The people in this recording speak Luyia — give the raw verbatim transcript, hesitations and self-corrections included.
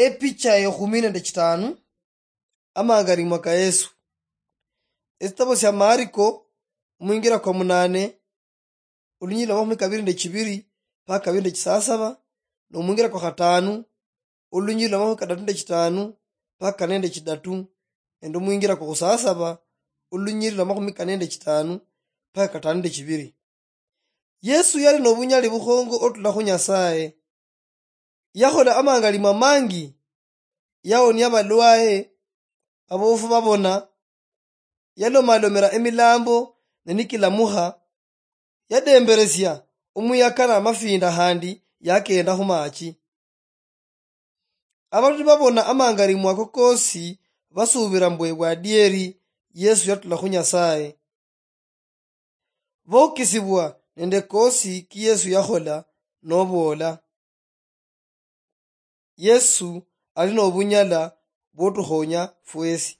Epicha ekhumi nende chitanu. Amangalimwa ka Yesu. Esitabo sia Mariko, omwingira kwa munane, olunyiriri lwa makhumi kabiri nende chibiri mpaka kabiri nende chisasaba, nomwingira kwa khatanu, olunyiriri lwa makhumi kadatu nende chitanu mpaka kane nende chidatu, nende omwingira kwa khusasaba, olunyiriri lwa makhumi kane nende chitanu mpaka katanu nende chibiri. Yesu yali nobunyali bukhongo otula khu Nyasaye. Yakhola amangalimwa mangi, yaonia abalwaye, abofu babona, yalomalomera emilambo ne nikilamukha, yademberesia omuyaka namafinda khandi yakenda khumachi. Abandu nibabona amangalimwa ako kosi, basubira mbwe bwadieri Yesu yatula khu Nyasaye. Bokisibwa nende kosi ki Yesu yakhola, noboola, Yesu ali nobunyala bwotukhonya fwesi.